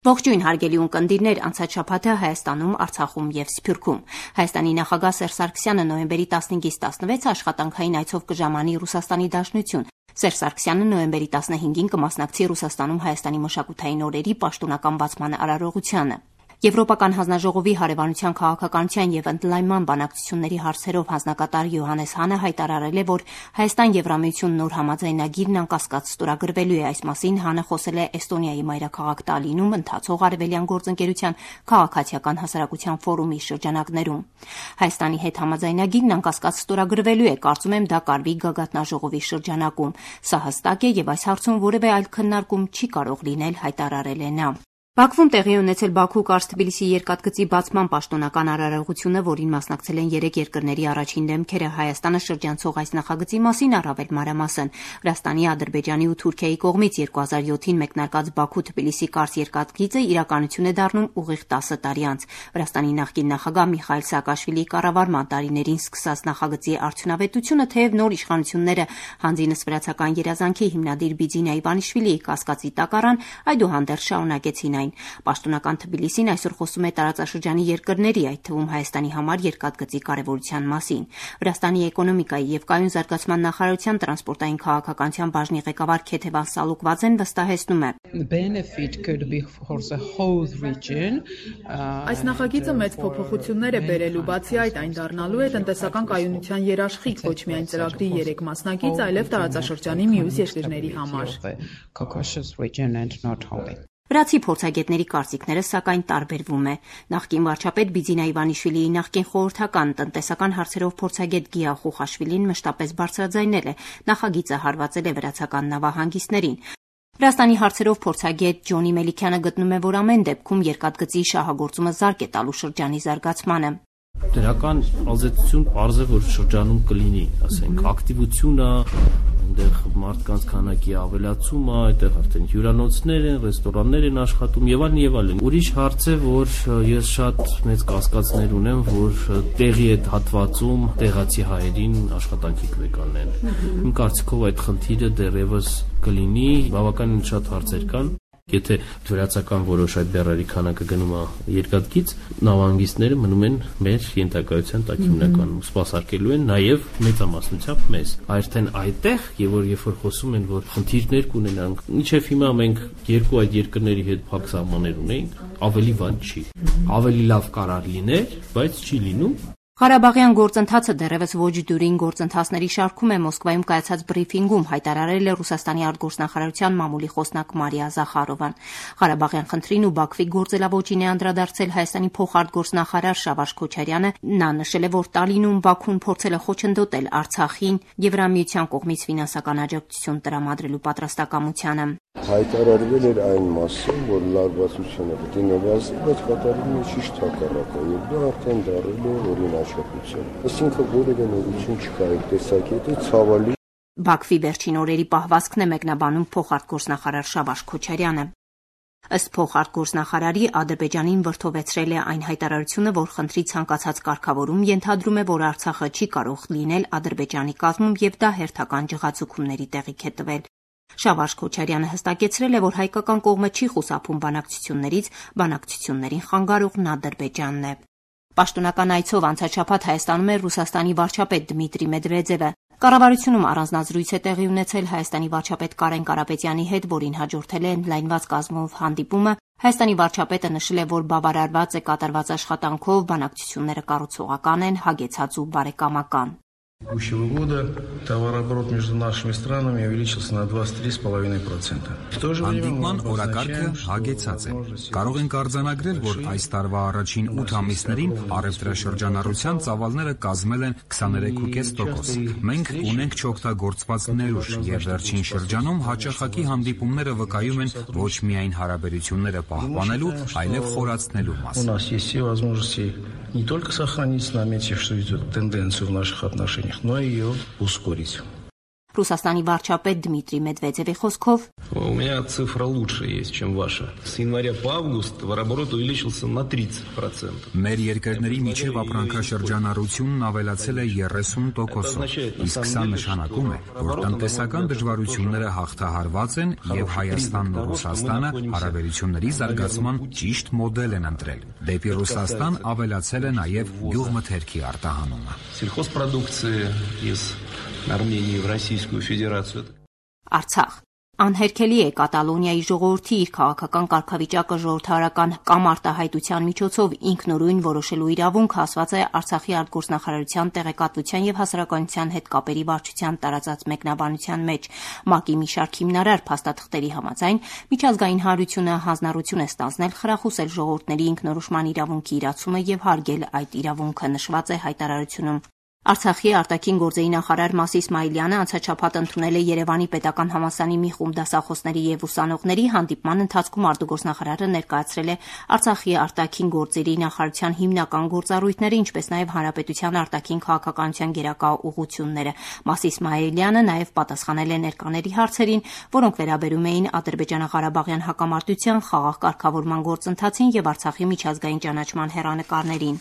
Ողջույն հարգելի ունկնդիրներ, անցած շաբաթը Հայաստանում, Արցախում եւ Սփյուռքում։ Հայաստանի նախագահ Սերժ Սարգսյանը նոյեմբերի 15-ից 16 աշխատանքային այցով կժամանի Ռուսաստանի Դաշնություն։ Սերժ Սարգսյանը նոյեմբերի 15-ին կմասնակցի Ռուսաստանում Հայաստանի մշակութային օրերի պաշտոնական բացման արարողությանը։ Եվրոպական հանձնաժողովի հարևանության քաղաքականության եւ ընդլայնման բանակցությունների հարցերով հանձնակատար Յոհաննես Հանը հայտարարել է, որ Հայաստան-Եվրամիություն նոր համաձայնագիրն անկասկած ստորագրվելու է։ Այս մասին Հանը խոսել է Էստոնիայի մայրաքաղաք Տալինում ընթացող արևելյան գործընկերության քաղաքացիական հասարակության ֆորումի շրջանակներում։ Հայաստանի հետ համաձայնագիրն անկասկած ստորագրվելու է, կարծում եմ դա կարվի գագաթնաժողովի շրջանակում։ Սա հստակ է եւ այս հարցում որևէ այլ քննարկում չի կարող լինել, հայտարարել է նա։ Բաքվում տեղի ունեցել Բաքու-Կարս-Թբիլիսի երկաթգծի բացման պաշտոնական արարողությունը, որին մասնակցել են 3 երկրների առաջին դեմքերը, Հայաստանը շրջանցող այս նախագծի մասին առավել մանրամասն։ Վրաստանի, Ադրբեջանի ու Թուրքիայի կողմից 2007-ին մեկնարկած Բաքու-Թբիլիսի-Կարս երկաթգիծը իրականություն է դառնում ուղիղ 10 տարի անց։ Վրաստանի նախկին նախագահ Միխայիլ Սաակաշվիլիի կառավարման տարիներին սկսած նախագծի արդյունավետությունը, թեև նոր իշխանությունները հանձինս վրացական երազանքի հիմնադիր Բիձինա Իվանիշվիլիի կասկածի տակ առան, այդուհանդերձ շարունակեցին այն։ Պաշտոնական Թբիլիսին այսօր խոսում է տարածաշրջանի երկրների, այդ թվում Հայաստանի համար երկաթգծի կարևորության մասին։ Վրաստանի էկոնոմիկայի եւ կայուն զարգացման նախարարության տրանսպորտային քաղաքականության բաժնի ղեկավար Քեթևան Սալուկվաձեն վստահեցնում է. Այս նախագիծը մեծ փոփոխություններ է բերելու, բացի այդ այն դառնալու է տնտեսական կայունության երաշխիք ոչ միայն ծրագրի 3 մասնակից, այլև տարածաշրջանի մյուս երկրների համար։ Վրացի փորձագետների կարծիքները սակայն տարբերվում է։ Նախկին վարչապետ Բիձինա Իվանիշվիլիի նախկին խորհրդական տնտեսական հարցերով փորձագետ Գիա Խուխաշվիլին մշտապես բարձրաձայնել է։ Նախագիծը հարվածել է վրացական նավահանգիստներին։ Վրաստանի հարցերով փորձագետ Ջոնի Մելիքյանը գտնում է, որ ամեն դեպքում երկաթգծի շահագործումը զարկ է տալու շրջանի զարգացմանը։ Դրական ազդեցություն պարզ է, որ շրջանում կլինի, ասենք, ակտիվությունը, այնտեղ մարդկանց քանակի ավելացումը, այդտեղ արդեն հյուրանոցներ են, ռեստորաններ են աշխատում եւ այլն։ Ուրիշ հարց է, որ ես շատ մեծ կասկածներ ունեմ, որ տեղի այդ հատվածում տեղացի հայերին աշխատանքի կվեկանեն։ Իմ կարծիքով այդ խնդիրը դեռևս կլինի, բավականին շատ հարցեր կան։ Եթե վրացական որոշ այդ բեռերի քանակը գնում է երկաթգիծ, նավահանգիստները մնում են մեր ենթակայության տակ հիմնականում, սպասարկելու են նաև մեծամասնությամբ մեզ։ Արդեն այդտեղ, եւ երբ որ խոսում են, որ խնդիրներ կունենանք, մինչեւ հիմա մենք 2 այդ երկրների հետ փակ սահմաններ ունենք, ավելի վատ չի։ Ավելի լավ կարող լիներ, բայց չի լինում։ Ղարաբաղյան գործընթացը դեռևս ոչ դյուրին գործընթացների շարքում է Մոսկվայում կայացած բրիֆինգում հայտարարել է Ռուսաստանի արտգործնախարարության մամուլի խոսնակ Մարիա Զախարովան։ Ղարաբաղյան խնդրին ու Բաքվի գործելավոճին է անդրադարձել Հայաստանի փոխարտգործնախարար Շավարժ Քոչարյանը։ Նա նշել է, որ Տալինում Բաքուն փորձել է խոչընդոտել Արցախին Եվրամիության կողմից ֆինանսական աջակցություն տրամադրելու պատրաստակամությանը։ Հայտարարվել էր այն մասը, որ լարվածությունը պետք է նվազի, բայց կատարվում է ճիշտ հակառակը, եւ դա արդեն դառել է օրինաչափություն։ Այսինքն որևէ նորություն չկա այդ տեսակետի, ցավալի։ Բաքվի վերջին օրերի պահվածքն է մեկնաբանում փոխարտգործնախարար Շավարժ Քոչարյանը։ Ըստ փոխարտգործնախարարի, Ադրբեջանին վրդովեցրել է այն հայտարարությունը, որ խնդրի ցանկացած կարգավորում ենթադրում է, որ Արցախը չի կարող լինել Ադրբեջանի կազմում եւ դա հերթական ջղացուցումների տեղիք է տվել։ Շավարժ Քոչարյանը հստակեցրել է, որ հայկական կողմը չի խուսափում բանակցություններից, բանակցություններին խանգարողն Ադրբեջանն է։ Պաշտոնական այցով անցած շաբաթ Հայաստանում էր Ռուսաստանի վարչապետ Դմիտրի Մեդվեդևը։ Կառավարությունում առանձնազրույց է տեղի ունեցել Հայաստանի վարչապետ Կարեն Կարապետյանի հետ, որին հաջորդել է ընդլայնված կազմով հանդիպումը։ Հայաստանի վարչապետը նշել է, որ բավարարված է կատարված աշխատանքով, բանակցությունները կառուցողական են, հագեցած ու բարեկամական։ Текущего года товарооборот между нашими странами увеличился на 23,5%. Հանդիպման օրակարգը հագեցած է։ Կարող ենք արձանագրել, որ այս տարվա առաջին 8 ամիսներին առևտրաշրջանառության ծավալները կազմել են 23.5%։ Մենք ունենք չօգտագործված ներուժ եւ վերջին շրջանում հաճախակի հանդիպումները վկայում են ոչ միայն հարաբերությունները պահպանելու, այլև խորացնելու մասին։ У нас есть все возможности не только сохранить, наметив, что идет тенденцию в наших отношениях, но и ее ускорить. Ռուսաստանի վարչապետ Դմիտրի Մեդվեդևի խոսքով У меня цифра лучше есть, чем ваша. С января по август товарооборот увеличился на 30%. Մեր երկրների միջև ապրանքաշրջանառությունն ավելացել է 30%-ով, իսկ սա նշանակում է, որ տնտեսական դժվարությունները հաղթահարված են եւ Հայաստանն ու Ռուսաստանը հարաբերությունների զարգացման ճիշտ մոդել են ընտրել։ Դեպի Ռուսաստան ավելացել է նաեւ գյուղմթերքի արտահանումը։ Сельхозпродукции из Армении в Российскую Федерацию. Արցախ Անհերքելի է Կատալոնիայի ժողովրդի իր քաղաքական կարգավիճակը ժողովրդարական կամ արտահայտության միջոցով ինքնուրույն որոշելու իրավունքը ասված է Արցախի արտգործնախարարության տեղեկատվության եւ հասարակայնության հետ կապերի վարչության տարածած մեկնաբանության մեջ ՄԱԿ-ի մի շարք հիմնարար փաստաթղթերի համաձայն միջազգային հանրությունը հանձնառություն է ստանձնել խրախուսել ժողովուրդների ինքնորոշման իրավունքի իրացումը եւ հարգել այդ իրավունքը նշված է հայտարարությունում։ Արցախի արտաքին գործերի նախարար Մաս Իսմայիլյանը անցած շաբաթ ընդունել է Երևանի պետական համալսարանի մի խումբ դասախոսների եւ ուսանողների հանդիպման ընթացքում արտգործնախարարը ներկայացրել է Արցախի արտաքին գործերի նախարարության հիմնական գործառույթները, ինչպես նաեւ հանրապետության արտաքին քաղաքականության գերակա ուղղությունները։ Մաս Իսմայիլյանը նաեւ պատասխանել է ներկաների հարցերին, որոնք վերաբերում էին Ադրբեջանա-Ղարաբաղյան հակամարտության խաղաղ կարգավորման գործընթացին եւ Արցախի միջազգային ճանաչման հեռանկարներին։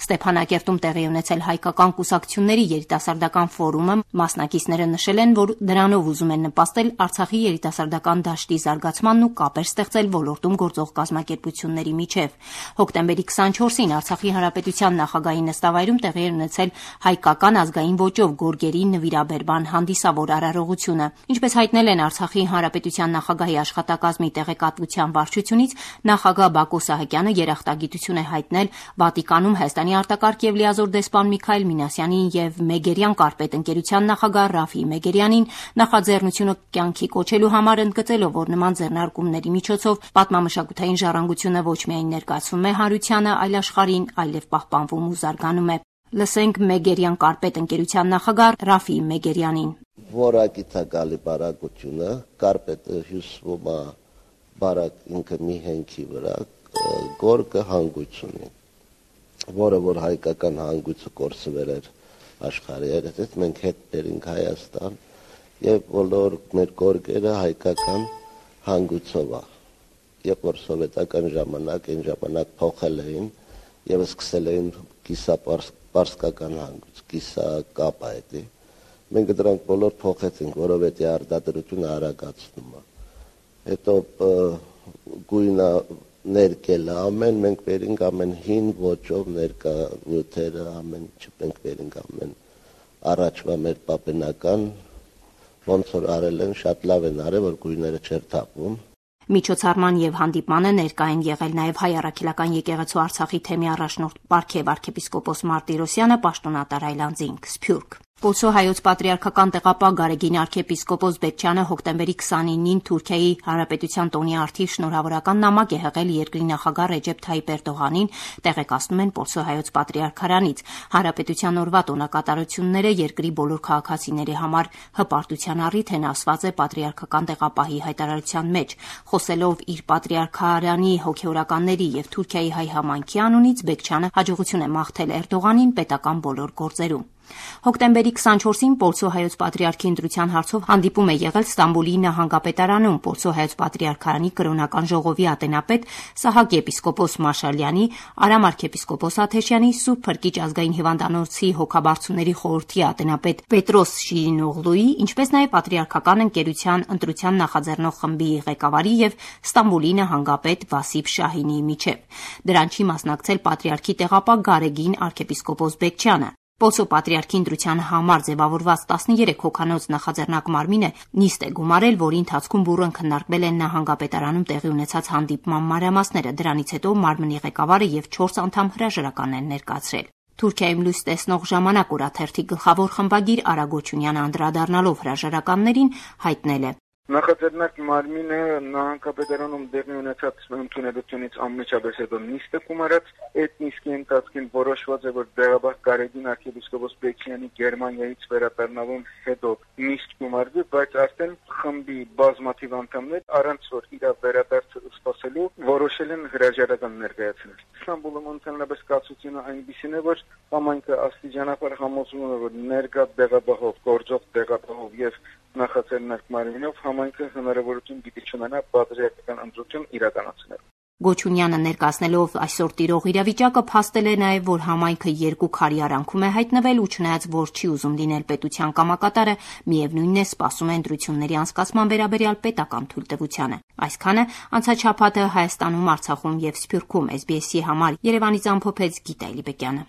Ստեփանակերտում տեղի ունեցել հայկական կուսակցությունների երիտասարդական ֆորումը մասնակիցները նշել են, որ դրանով ուզում են նպաստել Արցախի երիտասարդական դաշտի զարգացմանն ու կապեր ստեղծել ոլորտում գործող կազմակերպությունների միջև։ Հոկտեմբերի 24-ին Արցախի հանրապետության նախագահի նստավայրում տեղի է ունեցել հայկական ազգային ոճով գորգերի նվիրաբերման հանդիսավոր արարողությունը։ Ինչպես հայտնել են Արցախի հանրապետության նախագահի աշխատակազմի տեղեկատվության վարչությունից, նախագահ Բակո Սահակյանը երախտագիտություն է հայտնել Վատիկանում Հայաստանի արտակարգ եւ լիազոր դեսպան Միքայել Մինասյանին եւ Մեգերյան կարպետ ընկերության նախագահ Ռաֆի Մեգերյանին նախաձեռնությունը կյանքի կոչելու համար, ընդգծելով, որ նման ձեռնարկումների միջոցով պատմամշակութային ժառանգությունը ոչ միայն ներկայացվում է հանրությանը, այլ աշխարհին, այլև պահպանվում ու զարգանում է։ Լսենք Մեգերյան կարպետ ընկերության նախագահ Ռաֆի Մեգերյանին։ Որակիցակալի բարակությունը կարպետը հյուսվում է բարակ ինքը մի հենքի վրա, գորգը հանգույց ունի, որը որ հայկական հանգույցը կորսվել էր աշխարհի հետ, մենք հետ բերինք Հայաստան եւ բոլոր մեր գորգերը հայկական հանգույցով է։ Երբ որ սովետական ժամանակ այն ժամանակ փոխել էին եւ սկսել էին կիսապարսկական հանգույց, կիսակապ այդ։ Մենք դրանք բոլոր փոխեցինք, որովհետեւ արտադրությունը արագացնում է։ Հետո գույնը ներկել ամեն, մենք վերինք ամեն հին ոճով ներկա նյութերը, ամեն ինչ մենք վերինք ամեն առաջվա մեր պապենական, ոնց որ արել են, շատ լավ են արել, որ գույները չեր թափվում։ Միջոցառման եւ հանդիպմանը ներկա են եղել նաեւ Հայ առաքելական եկեղեցու Արցախի թեմի առաջնորդ Պարքև arczepiskopos Մարտիրոսյանը, պաշտոնատար Այլանդզինգ, Սփյուռք։ Պոլսո հայոց պատրիարքական տեղապահ Գարեգին arczepiskopos Բեկչյանը հոկտեմբերի 29-ին Թուրքիայի Հանրապետության տոնի արդիվ շնորհավորական նամակ է հղել երկրի նախագահ Ռեջեփ Թայիպ Էրդողանին, տեղեկացնում են Պոլսո հայոց պատրիարքարանից։ Հանրապետության օրվա տոնակատարությունները երկրի բոլոր քաղաքացիների համար հպարտության առիթ են, ասված է պատրիարքական տեղապահի հայտարարության մեջ։ Խոսելով իր պատրիարքարանի հոգեորականների եւ Թուրքիայի հայ համայնքի անունից, Բեկչյանը հաջողություն է մաղթել Էրդողանին պետական բոլոր գործերում։ Հոկտեմբերի 24-ին Պոլսո հայոց պատրիարքի ընտրության հարցով հանդիպում է եղել Ստամբուլի նահանգապետարանում Պոլսո հայոց պատրիարքարանի կրոնական ժողովի ատենապետ Սահակ եպիսկոպոս Մաշալյանի, Արամ arczepiskopos Աթեշյանի, Սուրբ Փրկիչ ազգային հիվանդանոցի հոգաբարձուների խորհրդի ատենապետ Պետրոս Շիրինօղլուի, ինչպես նաև պատրիարքական ընկերության ընտրության նախաձեռնող խմբի ղեկավարի եւ Ստամբուլի նահանգապետ Վասիփ Շահինիի միջև։ Դրան չի մասնակցել պատրիարքի տեղապահ Գարեգին arczepiskopos Բեկչյանը։ Պոլսո պատրիարքի ընտրության համար ձևավորված 13 հոգանոց նախաձեռնակ մարմինը նիստ է գումարել, որի ընթացքում բուռն քննարկվել են նահանգապետարանում տեղի ունեցած հանդիպման մանրամասները։ Դրանից հետո մարմնի ղեկավարը եւ 4 անդամ հրաժարական են ներկայացրել։ Թուրքիայում լույս տեսնող ժամանակ օրաթերթի գլխավոր խմբագիր Արա Գոչունյանը անդրադառնալով հրաժարականներին հայտնել է. Նախաձեռնակ մարմինը նահանգապետարանում դեղի ունեցած ընդունելությունից անմիջապես հետո նիստ է կումարած, այդ նիստի ընթացքին որոշված է, որ դեղաբար Գարեգին arczepiskopos Բեկչյանի Գերմանիայից վերադառնալուն հետո նիստ կումարվի, բայց արդեն խմբի բազմաթիվ անդամներ առանց որ իր վերադարձը սպասելու որոշել են հրաժարական ներկայացնել։ Ստամբուլում ընդհանրապես կացությունը այնպիսին է, որ համայնքը աստիճանաբար համոզվում է, որ ներկա դեղաբահով, գործող դեղաբահով եւ նախաձեռնակ մարմինով համայնքը հնարավորություն պիտի չունենա բادرիական ընտրություն իրականացնել։ Գոչունյանը ներկայացնելով այսօր տիրող իրավիճակը փաստել է նաև, որ համայնքը երկու քարի արանքում է հայտնվել ու չնայած որ չի ուզում լինել պետության կամակատարը, միևնույնն է սպասում է ընտրությունների անցկացման վերաբերյալ պետական թույլտվությանը։ Այսքանը անցած շաբաթը Հայաստանում, Արցախում եւ Սփյուռքում SBS-ի համար Երևանից ամփոփեց Գիտա Իլիպեկյանը։